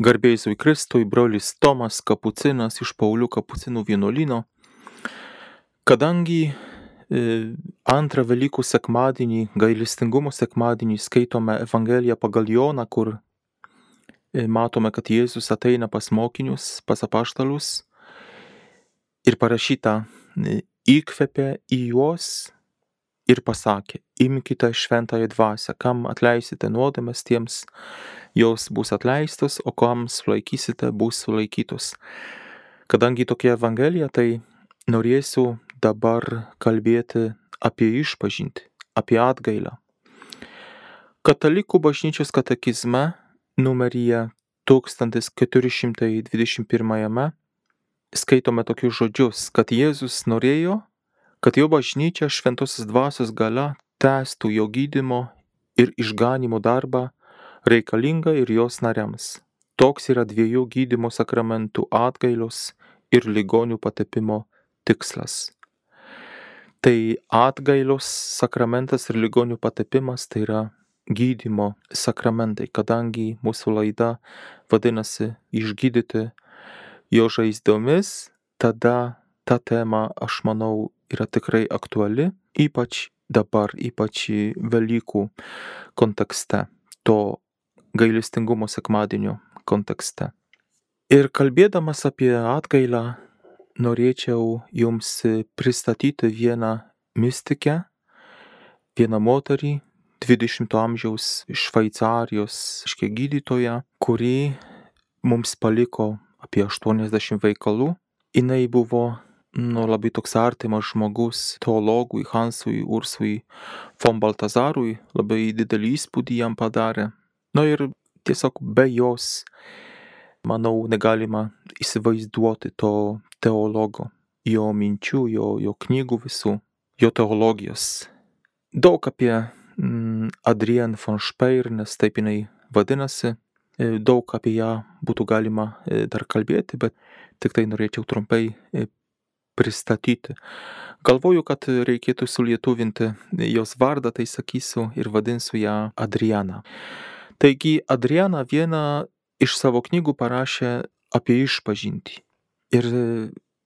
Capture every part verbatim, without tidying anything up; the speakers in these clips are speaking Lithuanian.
Garbė Jėzui Kristui, brolis Tomas Kapucinas iš Paulių Kapucinų vienuolyno. Kadangi e, antrą Velykų sekmadienį, gailestingumo sekmadienį, skaitome Evangeliją pagal Joną, kur e, matome, kad Jėzus ateina pas mokinius, pas apaštalus ir parašyta, e, įkvėpė į juos ir pasakė: imkite šventąją dvasią, kam atleisite nuodėmes, tiems jos bus atleistos, o kam sulaikysite, bus sulaikytos. Kadangi tokia Evangelija, tai norėsiu dabar kalbėti apie išpažintį, apie atgailą. Katalikų bažnyčios katekizme numeryje tūkstantis keturi šimtai dvidešimt pirmajame skaitome tokius žodžius, kad Jėzus norėjo, kad jo bažnyčia šventosios dvasios galia tęstų jo gydymo ir išganymo darbą reikalingą ir jos nariams. Toks yra dviejų gydymo sakramentų atgailos ir ligonių patepimo tikslas. Tai atgailos sakramentas ir ligonių patepimas tai yra gydymo sakramentai, kadangi mūsų laida vadinasi išgydyti jo žaizdomis, tada ta tema, aš manau, yra tikrai aktuali, ypač dabar, ypač Velykų kontekste, to gailestingumo sekmadienio kontekste. Ir kalbėdamas apie atgailą, norėčiau jums pristatyti vieną mistikę, vieną moterį, dvidešimto amžiaus Šveicarijos gydytoją, kuri mums paliko apie aštuoniasdešimt veikalų. Jinai buvo nu, labai toks artimas žmogus teologui Hansui Ursui von Baltazarui, labai didelį įspūdį jam padarė. Na ir tiesiog be jos, manau, negalima įsivaizduoti to teologo, jo minčių, jo, jo knygų visų, jo teologijos. Daug apie mm, Adrienne von Speyer, nes taip jinai vadinasi, daug apie ją būtų galima dar kalbėti, bet tik tai norėčiau trumpai pristatyti. Galvoju, kad reikėtų sulietuvinti jos vardą, tai sakysiu ir vadinsiu ją Adriana. Taigi Adriana vieną iš savo knygų parašė apie išpažintį. Ir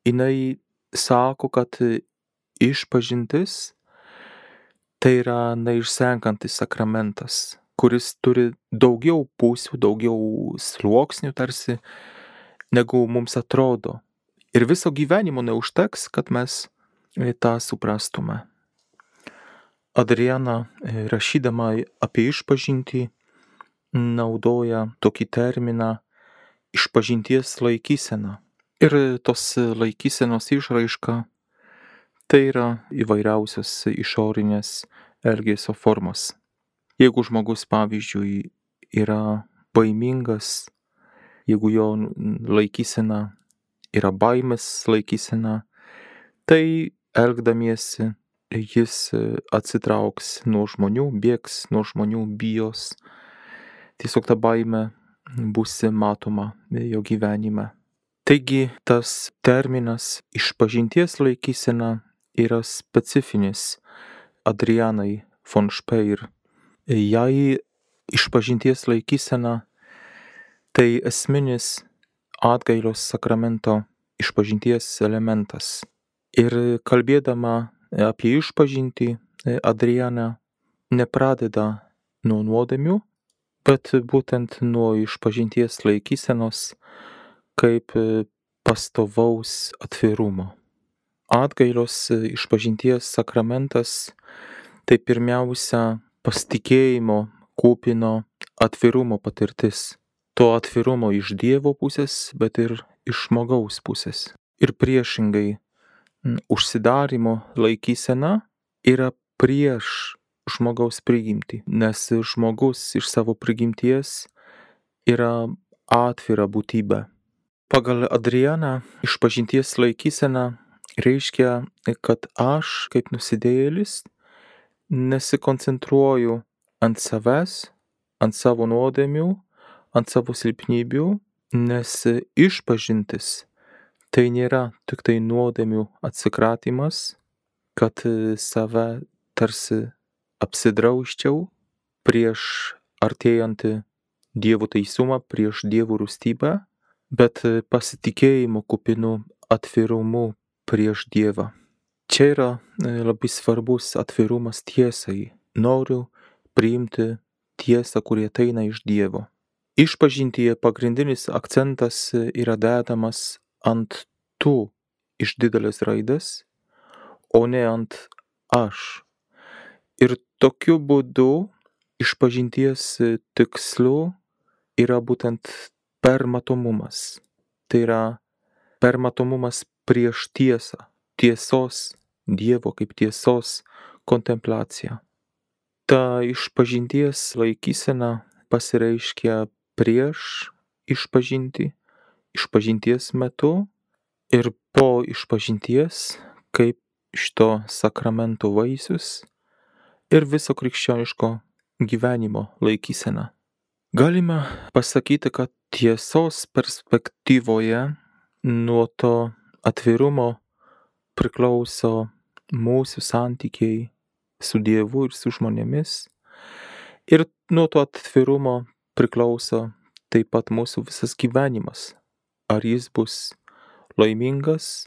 jinai sako, kad išpažintis tai yra neišsenkantis sakramentas, kuris turi daugiau pusių, daugiau sluoksnių tarsi, negu mums atrodo. Ir viso gyvenimo neužteks, kad mes tą suprastume. Adriana, rašydama apie išpažintį, naudoja tokį terminą išpažinties laikysena. Ir tos laikysenos išraiška tai yra įvairiausios išorinės elgesio formos. Jeigu žmogus, pavyzdžiui, yra baimingas, jeigu jo laikysena yra baimės laikysena, tai elgdamiesi jis atsitrauks nuo žmonių, bėgs nuo žmonių, bijos. Tiesiog ta baimė bus matoma jo gyvenime. Taigi tas terminas išpažinties laikysena yra specifinis Adrianai von Speyer. Jai išpažinties laikysena tai esminis atgailos sakramento išpažinties elementas. Ir kalbėdama apie išpažintį, Adriana nepradeda nuo nuodėmių, bet būtent nuo išpažinties laikysenos kaip pastovaus atvirumo. Atgailos išpažinties sakramentas tai pirmiausia pasitikėjimo kupino atvirumo patirtis. To atvirumo iš Dievo pusės, bet ir iš žmogaus pusės. Ir priešingai, užsidarimo laikysena yra prieš žmogaus prigimtį, nes žmogus iš savo prigimties yra atvira būtybė. Pagal Adrianą išpažinties laikysena reiškia, kad aš, kaip nusidėjėlis, nesikoncentruoju ant savęs, ant savo nuodėmių, ant savo silpnybių, nes išpažintis tai nėra tik tai nuodėmių atsikratymas, kad save tarsi apsidrausčiau prieš artėjantį Dievo teisumą prieš Dievo rūstybę, bet pasitikėjimo kupinu atvirumu prieš Dievą. Čia yra labai svarbus atvirumas tiesai. Noriu priimti tiesą, kuri ateina iš Dievo. Išpažintyje pagrindinis akcentas yra dedamas ant tu iš didelės raidės, o ne ant aš. Ir tokiu būdu išpažinties tikslu yra būtent permatomumas. Tai yra permatomumas prieš tiesą, tiesos, Dievo kaip tiesos kontempliacija. Ta išpažinties laikysena pasireiškia prieš išpažintį, išpažinties metu ir po išpažinties kaip šito sakramento vaisius ir viso krikščioniško gyvenimo laikysena. Galime pasakyti, kad tiesos perspektyvoje nuo to atvirumo priklauso mūsų santykiai su Dievu ir su žmonėmis. Ir nuo to atvirumo priklauso taip pat mūsų visas gyvenimas. Ar jis bus laimingas,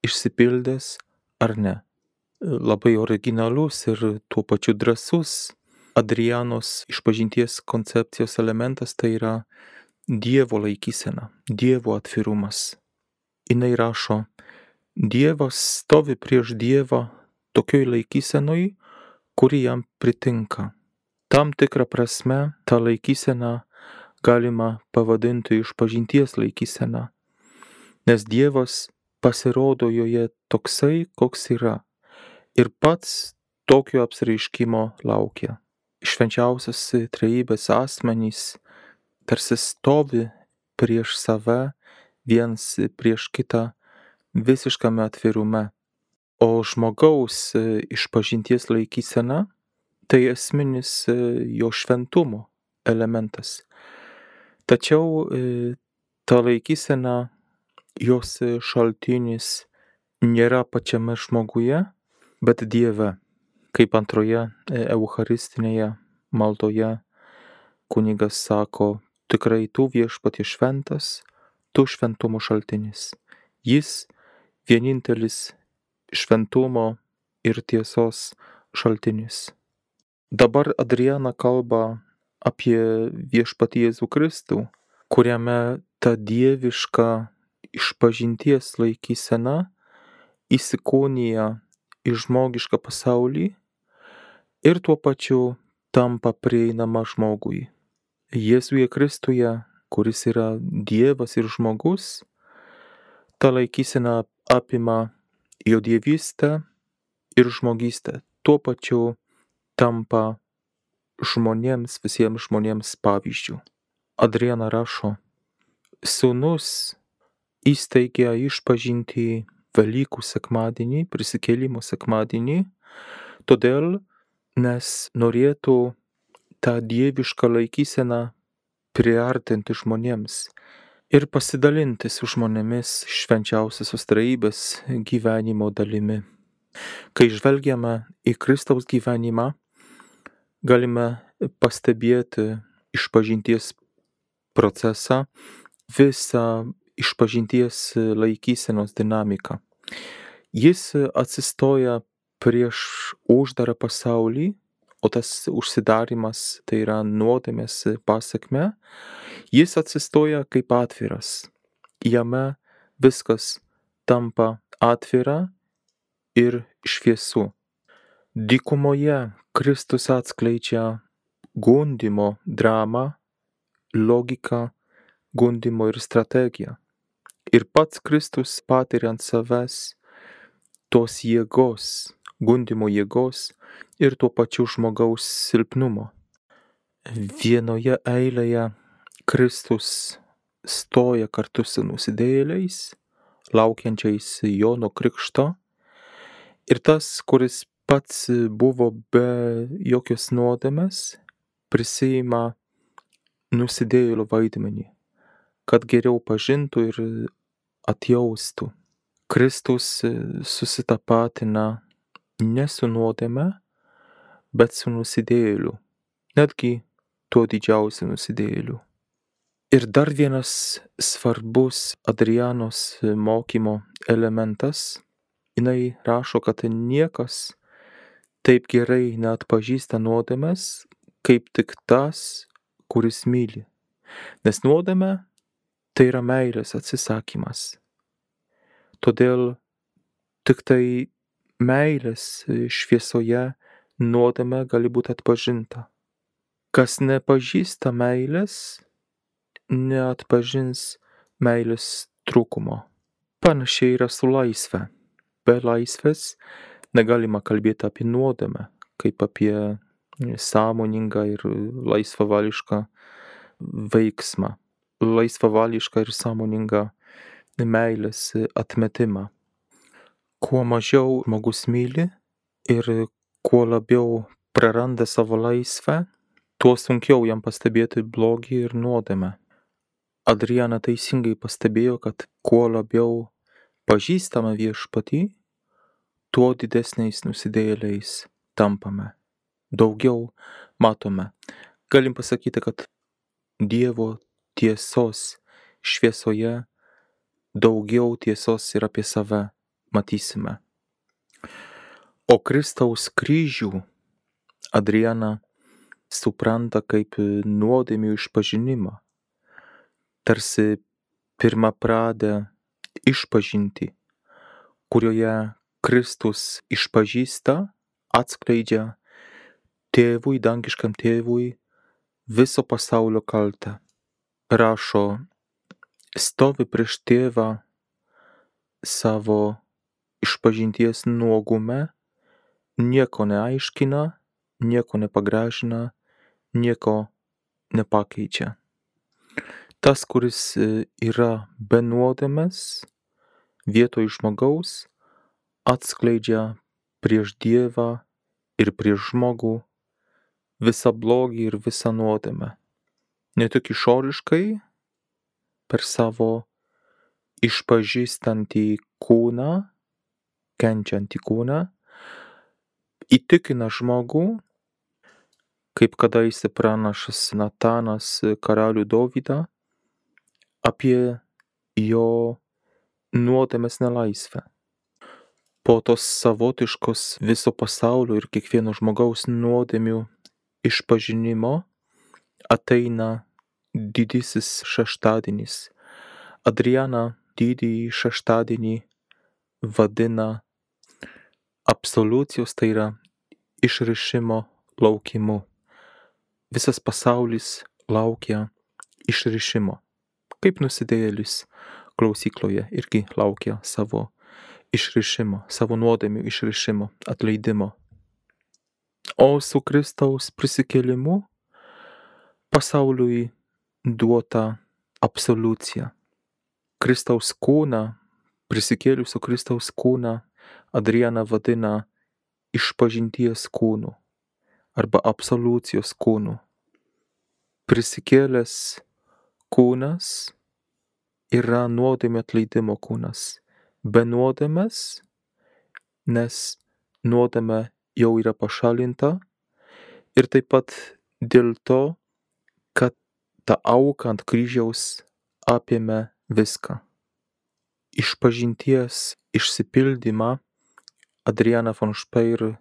išsipildęs ar ne. Labai originalus ir tuo pačiu drąsus Adrianos išpažinties koncepcijos elementas tai yra Dievo laikysena, Dievo atvirumas. Jinai rašo, Dievas stovi prieš Dievą tokioj laikysenoj, kuri jam pritinka. Tam tikrą prasme tą laikyseną galima pavadinti išpažinties laikysena, nes Dievas pasirodo joje toksai, koks yra, ir pats tokio apsireiškimo laukia. Švenčiausios trejybės asmenys tarsi stovi prieš save, viens prieš kitą visiškame atvirume. O žmogaus išpažinties laikysena tai esminis jo šventumo elementas. Tačiau ta laikysena, jos šaltinis nėra pačiame žmoguje, bet Dieve. Kaip antroje eucharistinėje maldoje kunigas sako, tikrai tu viešpatie šventas, tu šventumo šaltinis. Jis vienintelis šventumo ir tiesos šaltinis. Dabar Adriana kalba apie viešpatį Jėzų Kristų, kuriame ta dieviška išpažinties laikysena įsikūnija į žmogišką pasaulį ir tuo pačiu tampa prieinama žmogui. Jėzuje Kristuje, kuris yra Dievas ir žmogus, ta laikysena apima jo dievystę ir žmogystę. Tuo pačiu tampa žmonėms, visiems žmonėms pavyzdžių. Adriana rašo, Sūnus įsteigė išpažintį Velykų sekmadienį, prisikėlimo sekmadienį, todėl, nes norėtų tą dievišką laikyseną priartinti žmonėms ir pasidalinti su žmonėmis švenčiausiosios trejybės gyvenimo dalimi. Kai žvelgiame į Kristaus gyvenimą, galime pastebėti išpažinties procesą, visą išpažinties laikysenos dinamiką. Jis atsistoja prieš uždarą pasaulį, o tas užsidarimas tai yra nuodėmės pasekmė. Jis atsistoja kaip atviras. Jame viskas tampa atvira ir šviesu. Dykumoje Kristus atskleidžia gundymo dramą, logiką, gundymo ir strategiją. Ir pats Kristus patiria ant savęs tos jėgos, gundymo jėgos ir tuo pačiu žmogaus silpnumo. Vienoje eilėje Kristus stoja kartu su nusidėjėliais, laukiančiais Jono krikšto, ir tas, kuris pats buvo be jokios nuodėmės, prisiima nusidėjėlio vaidmenį, kad geriau pažintų ir atjaustų. Kristus susitapatina ne su nuodėme, bet su nusidėjėliu. Netgi tuo didžiausiu nusidėjėliu. Ir dar vienas svarbus Adrianos mokymo elementas, jinai rašo, kad niekas taip gerai neatpažįsta nuodėmės, kaip tik tas, kuris myli. Nes nuodėmė tai yra meilės atsisakymas. Todėl tik tai meilės šviesoje nuodėmė gali būti atpažinta. Kas nepažįsta meilės, neatpažins meilės trūkumo. Panašiai yra su laisve. Be laisvės negalima kalbėti apie nuodėmę, kaip apie sąmoningą ir laisvavališką veiksmą, laisvavališką ir sąmoningą meilės atmetimą. Kuo mažiau žmogus myli ir kuo labiau praranda savo laisvę, tuo sunkiau jam pastebėti blogį ir nuodėmę. Adriana teisingai pastebėjo, kad kuo labiau pažįstame viešpatį, tuo didesniais nusidėjėliais tampame. Daugiau matome. Galim pasakyti, kad Dievo tiesos šviesoje daugiau tiesos ir apie save matysime. O Kristaus kryžių Adriana supranta kaip nuodėmių išpažinimą, tarsi pirmapradę išpažintį, kurioje Kristus išpažįsta, atskleidžia tėvui, dangiškam tėvui viso pasaulio kaltę. Rašo, stovi prieš tėvą savo išpažinties nuogume, nieko neaiškina, nieko nepagražina, nieko nepakeičia. Tas, kuris yra be nuodėmės, vietoj žmogaus, atskleidžia prieš Dievą ir prieš žmogų visą blogį ir visą nuodėmę. Ne tik išoriškai, per savo išpažįstantį kūną, kenčiantį kūną, įtikina žmogų, kaip kadaise pranašas Natanas karalių Dovydą, apie jo nuodėmės nelaisvę. Po tos savotiškos viso pasaulio ir kiekvieno žmogaus nuodėmių išpažinimo ateina didysis šeštadienis. Adriana didįjį šeštadienį vadina absoliucijos, tai yra išrišimo laukimu. Visas pasaulis laukia išrišimo. Kaip nusidėjėlis klausykloje irgi laukia savo išrišimo, savo nuodėmių išrišimo, atleidimo. O su Kristaus prisikėlimu pasauliui duota absoliucija. Kristaus kūną, prisikėlusio Kristaus kūną Adriana vadina išpažinties kūnu arba absoliucijos kūnu. Prisikėlęs kūnas yra nuodėmių atleidimo kūnas. Be nuodėmės, nes nuodėmė jau yra pašalinta ir taip pat dėl to, kad ta auka ant kryžiaus apėmė viską. Išpažinties išsipildymą Adriana von Speyer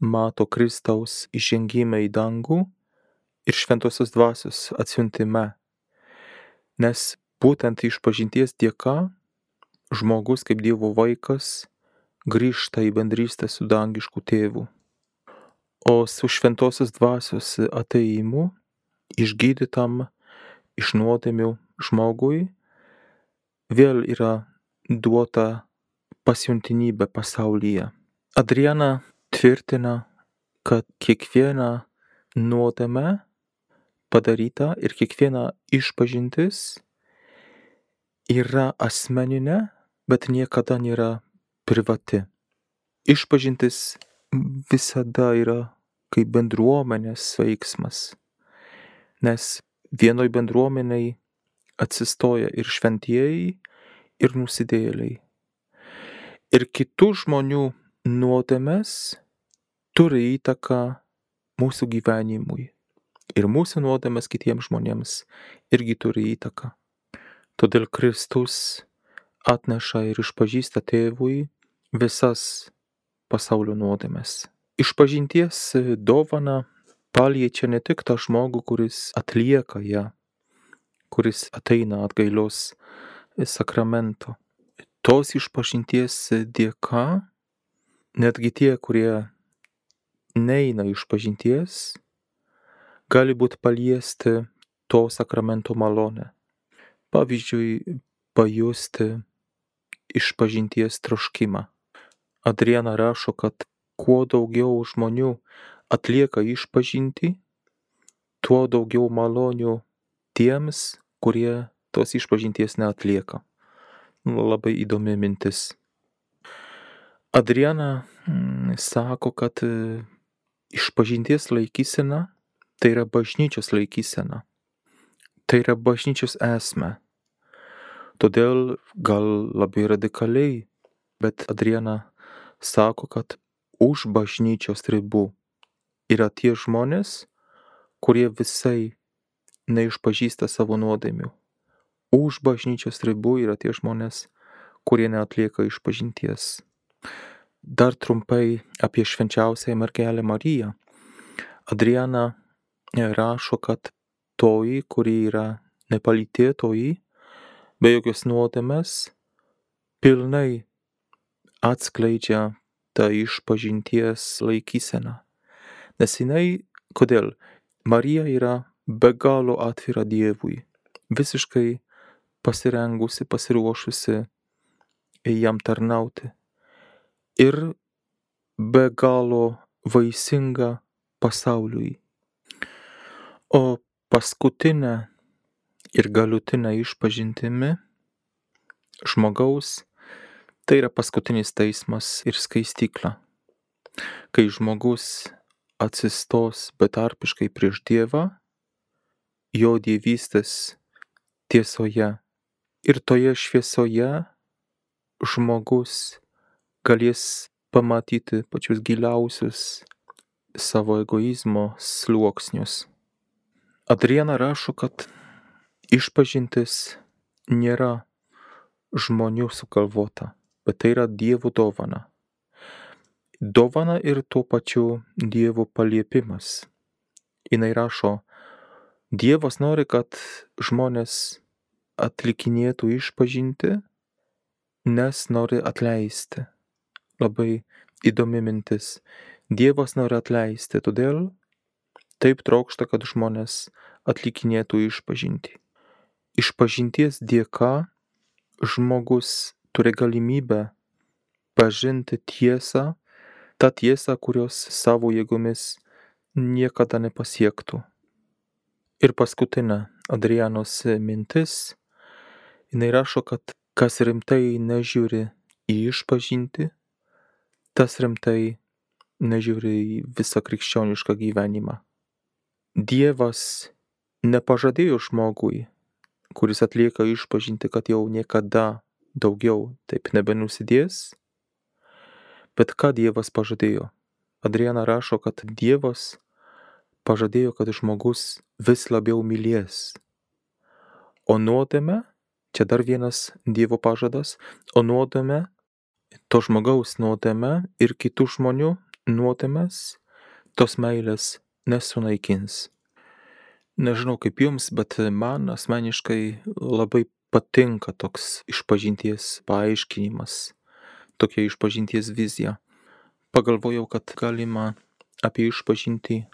mato Kristaus įžengime į dangų ir šventosios dvasios atsiuntime, nes būtent išpažinties dėka žmogus kaip Dievo vaikas grįžta į bendrystę su dangišku tėvu. O su šventosios dvasios atėjimu išgydytam iš nuodėmių žmogui vėl yra duota pasiuntinybė pasaulyje. Adriana tvirtina, kad kiekviena nuodėmė padaryta ir kiekviena išpažintis yra asmeninė, bet niekada nėra privati. Išpažintis visada yra kaip bendruomenės veiksmas, nes vienoj bendruomeniai atsistoja ir šventieji, ir nusidėjėliai. Ir kitų žmonių nuodėmės turi įtaką mūsų gyvenimui. ir mūsų nuodėmės kitiems žmonėms irgi turi įtaką. Todėl Kristus atneša ir išpažįsta tėvui visas pasaulio nuodėmes. Išpažinties dovana paliečia ne tik tą žmogų, kuris atlieka ją, kuris ateina atgailos sakramento. Tos išpažinties dėka netgi tie, kurie neina išpažinties, gali būti paliesti to sakramento malonę. Pavyzdžiui, pajusti išpažinties troškimą. Adriana rašo, kad kuo daugiau žmonių atlieka išpažintį, tuo daugiau malonių tiems, kurie tos išpažinties neatlieka. Labai įdomi mintis. Adriana mm, sako, kad e, išpažinties laikysena tai yra bažnyčios laikysena. Tai yra bažnyčios esmė. Todėl gal labai radikaliai, bet Adriana sako, kad už bažnyčios ribų yra tie žmonės, kurie visai neišpažįsta savo nuodėmių. Už bažnyčios ribų yra tie žmonės, kurie neatlieka išpažinties. Dar trumpai apie švenčiausiąją mergelę Mariją. Adriana rašo, kad toji, kuri yra nepalytėtoji, be jokios nuodėmės, pilnai atskleidžia tą išpažinties laikyseną. Nes jinai, kodėl? Marija yra be galo atvira Dievui, visiškai pasirengusi, pasiruošusi jam tarnauti. Ir be galo vaisinga pasauliui. O paskutinė ir galutinė išpažintimi žmogaus tai yra paskutinis teismas ir skaistykla. Kai žmogus atsistos betarpiškai prieš Dievą, jo dievystės tiesoje ir toje šviesoje žmogus galės pamatyti pačius giliausius savo egoizmo sluoksnius. Adriana rašo, kad išpažintis nėra žmonių sugalvota, bet tai yra Dievo dovana. Dovana ir tuo pačiu Dievo paliepimas. Jinai rašo, Dievas nori, kad žmonės atlikinėtų išpažinti, nes nori atleisti. Labai įdomi mintis. Dievas nori atleisti, todėl taip trokšta, kad žmonės atlikinėtų išpažinti. Išpažinties dėka žmogus turi galimybę pažinti tiesą, tą tiesą, kurios savo jėgomis niekada nepasiektų. Ir paskutinė Adrianos mintis, jinai rašo, kad kas rimtai nežiūri į išpažintį, tas rimtai nežiūri į visą krikščionišką gyvenimą. Dievas nepažadėjo žmogui, kuris atlieka išpažintį, kad jau niekada daugiau taip nebenusidės, bet ką Dievas pažadėjo? Adriana rašo, kad Dievas pažadėjo, kad žmogus vis labiau mylės. O nuodėmė, čia dar vienas Dievo pažadas, o nuodėmė, to žmogaus nuodėmė ir kitų žmonių nuodėmės, tos meilės nesunaikins. Nežinau kaip jums, bet man asmeniškai labai patinka toks išpažinties paaiškinimas, tokia išpažinties vizija. Pagalvojau, kad galima apie išpažintį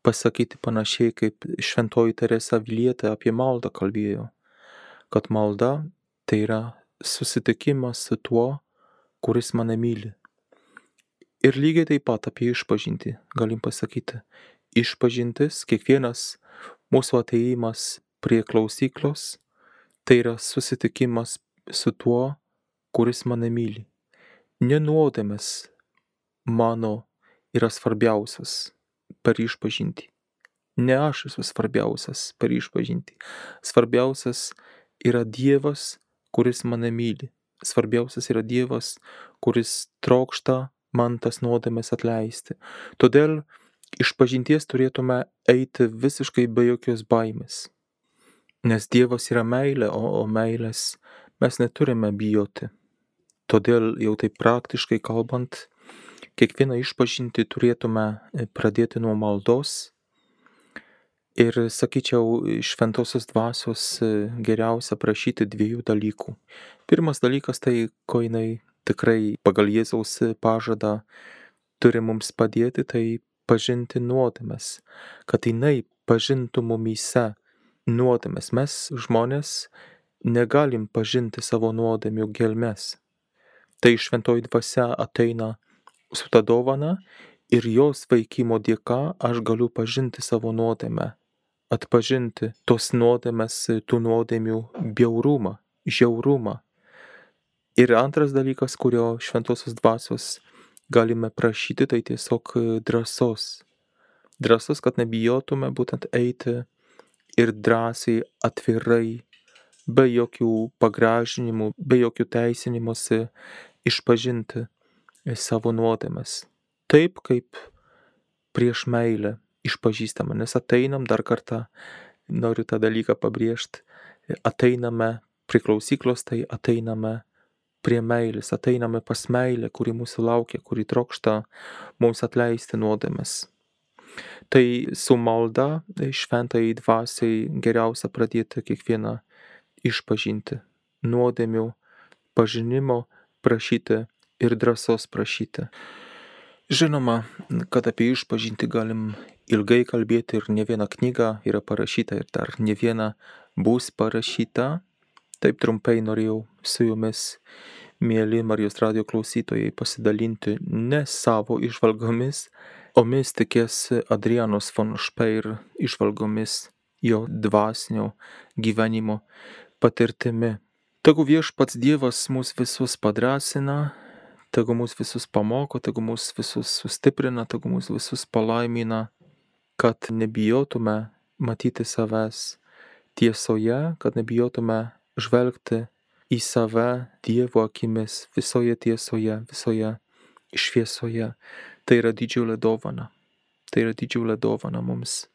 pasakyti panašiai, kaip šventoji Teresa Avilietė apie maldą kalbėjo, kad malda tai yra susitikimas su tuo, kuris mane myli. Ir lygiai taip pat apie išpažintį galim pasakyti. Išpažintis, kiekvienas mūsų atėjimas prie klausyklos, tai yra susitikimas su tuo, kuris mane myli. Ne nuodėmės mano yra svarbiausias per išpažintį. Ne aš esu svarbiausias per išpažintį. Svarbiausias yra Dievas, kuris mane myli. Svarbiausias yra Dievas, kuris trokšta man tas nuodėmes atleisti. Todėl Išpažinties turėtume eiti visiškai be jokios baimės. Nes Dievas yra meilė, o, o meilės mes neturime bijoti. Todėl jau taip praktiškai kalbant, kiekvieną išpažintį turėtume pradėti nuo maldos. Ir sakyčiau, šventosios dvasios geriausia prašyti dviejų dalykų. Pirmas dalykas tai, ko jinai tikrai pagal Jėzaus pažadą turi mums padėti, tai pažinti nuodėmes, kad jinai pažintų mumyse nuodėmes. Mes žmonės negalim pažinti savo nuodėmių gelmes. Tai šventoji dvasia ateina su ta dovana ir jos veikimo dėka aš galiu pažinti savo nuodėmę, atpažinti tos nuodėmės, tų nuodėmių bjaurumą, žiaurumą. Ir antras dalykas, kurio šventosios dvasios galime prašyti, tai tiesiog drąsos. Drąsos, kad nebijotume būtent eiti ir drąsiai, atvirai, be jokių pagražinimų, be jokių teisinimuose išpažinti savo nuodėmes. Taip, kaip prieš meilę išpažįstama, nes ateinam, dar kartą noriu tą dalyką pabrėžti, ateiname prie klausyklos, tai ateiname prie meilės, ateiname pas meilę, kuri mūsų laukia, kuri trokšta mums atleisti nuodėmes. Tai su malda šventai dvasiai geriausia pradėti kiekvieną išpažinti, nuodėmių pažinimo prašyti ir drąsos prašyti. Žinoma, kad apie išpažinti galim ilgai kalbėti ir ne viena knyga yra parašyta ir dar ne viena bus parašyta. Taip trumpai norėjau su jumis, mieli Marijos radijo klausytojai, pasidalinti ne savo įžvalgomis, o mistikės Adrianos von Speyer įžvalgomis, jo dvasinio gyvenimo patirtimi. Tegu viešpats Dievas mus visus padrąsina, tegu mus visus pamoko, tegu mus visus sustiprina, tegu mus visus palaimina, kad nebijotume matyti savęs tiesoje, kad nebijotume žvelgti į save Dievo akimis visoje tiesoje, visoje šviesoje. Tai yra didžiulė dovana. Tai yra didžiulė dovana mums.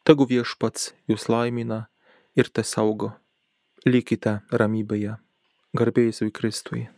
Tegu viešpats jūs laimina ir te saugo. Likite ramybėje. Garbė Jėzui Kristui.